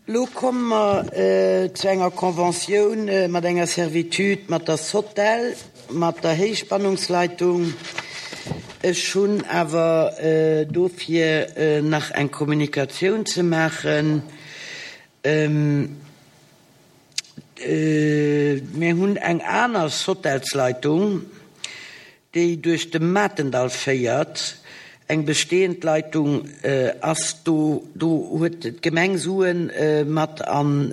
Lo komme mer zu enger Conventioun mat enger Servitude mat der Sotel, mat der Héichspannungsleitung. Ech hunn awer dofir nach eng Kommunikatioun ze maachen. Mir hunn eng aner Sotelsleitung, déi duerch de Matendall féiert. Eng bestehend Leitung ass do. Do huet d'Gemeng Sue mat an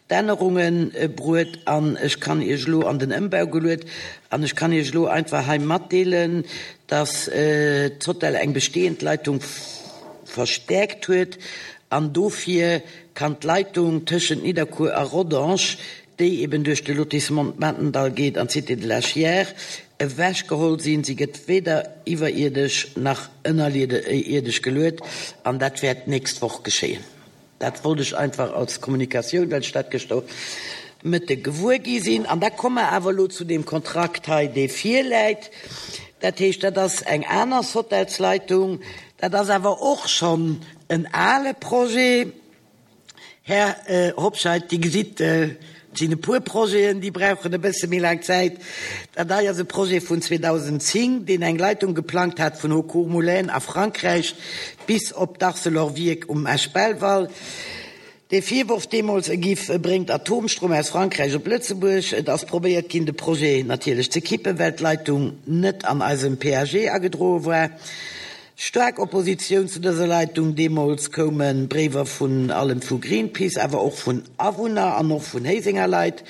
d'Ännerunge bruet an ech kann Iech elo an den Ëmbau geluet an ech kann Iech elo einfach hei matdeelen, dass d'Sotel eng bestehend Leitung verstäerkt huet an dofir kann d'Leitung tëschent Nidderkuer a Rodange, déi eben duerch de Lotissement Matendall geet an d'Cité de la Chiers, ewechgeholl sinn. Si gëtt weder iwwerierdesch nach ënnerierdesch geluet an dat wäert d'nächst Woch geschéien. Dat wollt ech einfach als Kommunikatioun, well ech dat gëschter Mëtte gewuer gi sinn. An da komme mer awer elo zu deem Kontrakt hei, dee virläit. Dat heescht, dat ass eng aner Sotelsleitung. Dat ass awer och schonn en ale Projet. Här Hobscheit, Dir gesitt, et sinn e puer Projeten, déi brauchen e bësse méi laang Zäit. Dat hei ass e Projet vun 2010, deen eng Leitung geplangt hat vun Haucourt-Moulins a Frankräich bis op d'Arcelor-Wierk um Esch-Belval. De Virworf deemools, e giff, e bréngt Atomstrom aus Frankräich op Lëtzebuerg. Et ass probéiert ginn, de Projet natierlech ze kippen, well d'Leitung net an eisem PAG agedroe war. Staark Oppositioun zu dëser Leitung. Deemools koume Bréiwer vun allem vu Greenpeace, awer och vun Awunner an och vun Héisenger Leit.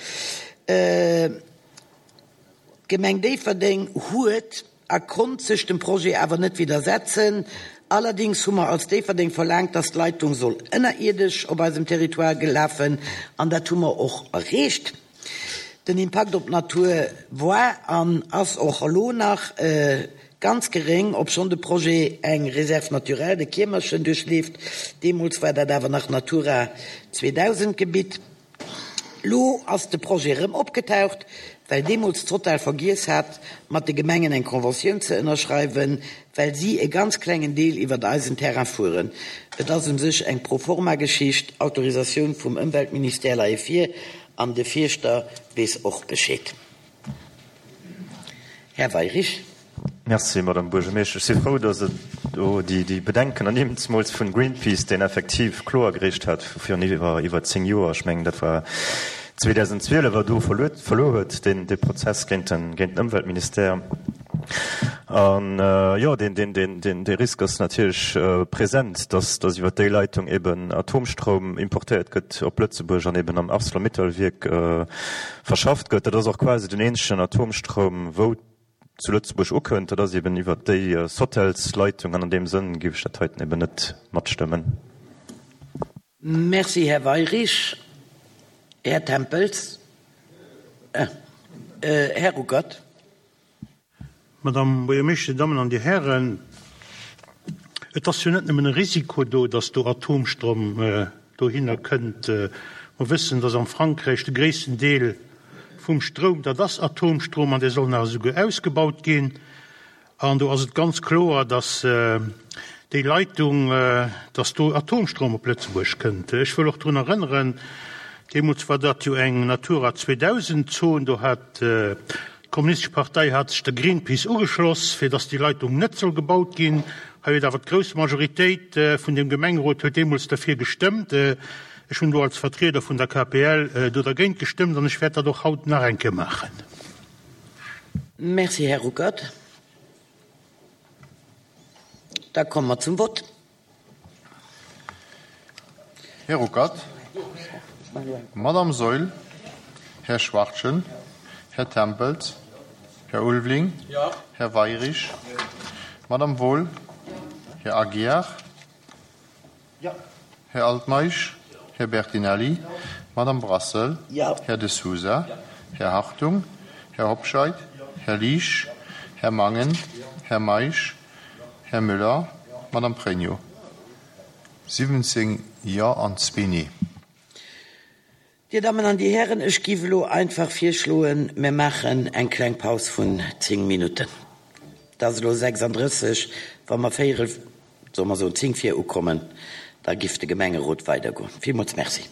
D'Gemeng Déifferdeng huet a konnt sech dem Projet awer net widdersetzen. Allerdéngs hu mer als Déifferdeng verlaangt, dass d'Leitung soll ënnerierdesch op eisem Territoire lafen, an dat hu mer och erreecht. Den Impakt op d'Natur war an ass och elo nach ganz geréng, obschonn de Projet eng Réserve naturelle, de Kiermerchen, duerchleeft. Deemools war dat awer nach Natura 2000 Gebitt. Lo ass de Projet erëm opgetaucht, well deemools d'Total vergiess hat, mat de Gemengen eng Conventioun ze ënnerschreiwen, well si e ganz klengen Deel iwwert eisen Terrain fueren. Et ass u sech eng Pro-forma-Geschicht, Autorisatioun vum Ëmweltministère leie vir an de Fierschter weess och Bescheed. Här Weirich. Merci, Madame Buergermeeschtesch. Ech si frou, datt et do déi Bedenken ernimmt, zemools vun Greenpeace, deen effektiv Klo agereecht hat virun iwwer 10 Joer, ech mengen dat war 2012, a do verluer huet dee Prozess géint den Ëmweltministère. An jo, dee Risk ass natierlech present, datt iwwer déi Leitung eben Atomstroum importéiert gëtt op Lëtzebuerg an eben am Arcelor-Mittal-Wierk verschafft gëtt. Dat ass och quasi den eenzegen Atomstroum, wou zu Lëtzebuerg ukënnt. Dat ass eben iwwert déi Sotels-Leitung an an deem Sënn géif ech dat heiten eben net matstëmmen. Merci, Här Weirich. Här Tempels. Här Ruckert. Madame Buergermeeschter, Dir Dammen an Dir Hären, et ass jo net nëmmen e Risiko do, dass do Atomstrom dohinner kënnt. Mer wëssen, dass am Frankräich de gréissten Deel vum Stroum, dat ass Atomstrom an dee soll nach esouguer ausgebaut ginn. An do ass et ganz kloer, dass déi Leitung, dass do Atomstrom op Lëtzebuerg kënnt. Ech wëll och drun erënneren, deemools war dat jo eng Natura 2000 Zon, do hat D'Kommunistesch Partei hat sech der Greenpeace ugeschloss, fir datt déi Leitung net soll gebaut ginn. Hei huet awer d'grouss Majoritéit vun dem Gemengerot huet deemools derfir gestëmmt. Ech hunn do als Vertrieder vun der KPL do dergéint gestëmmt an ech wäert dat och haut nach eng Kéier maachen. Merci, Här Ruckert. Da komme mer zum Vott. Här Ruckert, Madame Saeul, Här Schwachtgen, Här Tempels, Här Ulveling, Här Weirich, Madame Wohl, Här Aguiar, Här Altmeisch, Här Bertinelli, Madame Brassel, Här De Sousa, Här Hartung, Här Hobscheit, Här Liesch, Här Mangen, Här Meisch, Här Müller, Madame Pregno. 17 Jo an zwee Nee. Dir Dammen an Dir Hären, ech géif elo einfach virschloen, mir maachen eng kleng Paus vun 10 Minutten. Et ass elo 36, wa mer véierel, soe mer soen 10 vir ukommen. Da giff de Gemengerot weidergoen. Villmools Merci.